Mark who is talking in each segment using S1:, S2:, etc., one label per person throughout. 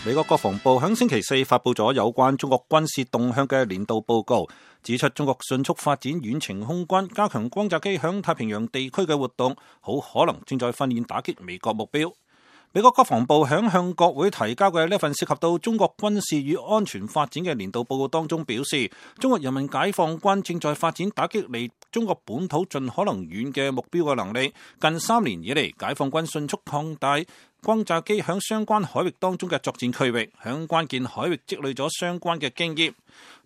S1: 美國國防部喺星期四發布咗有關中國軍事動向嘅年度報告，指出中國迅速發展遠程空軍，加強轟炸機響太平洋地區嘅活動，好可能正在訓練打擊美國目標。美國國防部響向國會提交嘅呢份涉及到中國軍事與安全發展嘅年度報告當中表示，中國人民解放軍正在發展打擊離中國本土盡可能遠嘅目標嘅能力。近3年以嚟，解放軍迅速擴大轟炸機響相關海域當中嘅作戰區域，響關鍵海域積累咗相關嘅經驗。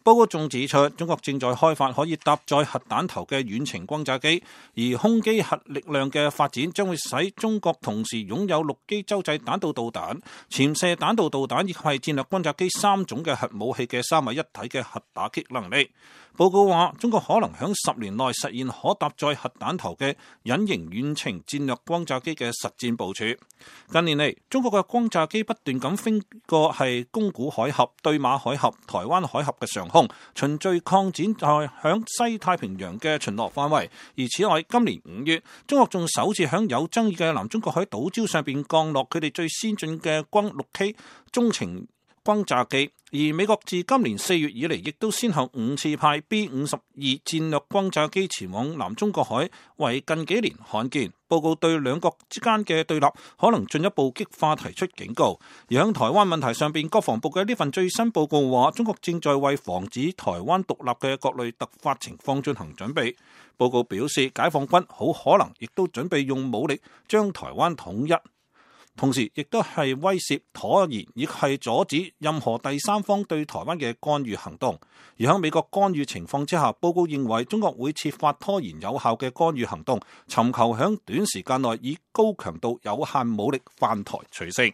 S1: 報告仲指出，中國正在開發可以搭載核彈頭嘅遠程轟炸機，而空機核力量嘅發展將會使中國同時擁有陸基洲際彈道導彈、潛射彈道導彈以及係戰略轟炸機3種嘅核武器嘅三位一體嘅核打擊能力。報告話，中國可能響10年內實現可搭載核彈頭嘅隱形遠程戰略轟炸機嘅實戰部署。近年嚟，中國嘅轟炸機不斷咁飛過係宮古海峽、對馬海峽、台灣海峽嘅上空，循序擴展在響西太平洋嘅巡邏範圍。而此外，今年5月，中國仲首次響有爭議嘅南中國海島礁上邊降落佢哋最先進嘅轟 6K 中程轟炸機。而美國自今年4月以嚟，亦都先後5次派 B-52戰略轟炸機前往南中國海，為近幾年罕見。報告對兩國之間嘅對立可能進一步激化提出警告。而喺台灣問題上邊，國防部嘅呢份最新報告話，中國正在為防止台灣獨立嘅各類突發情況進行準備。報告表示，解放軍好可能亦都準備用武力將台灣統一。同時，亦都係威懾、拖延，亦係阻止任何第三方對台灣嘅干預行動。而喺美國干預情況之下，報告認為中國會設法拖延有效嘅干預行動，尋求喺短時間內以高強度有限武力犯台取勝。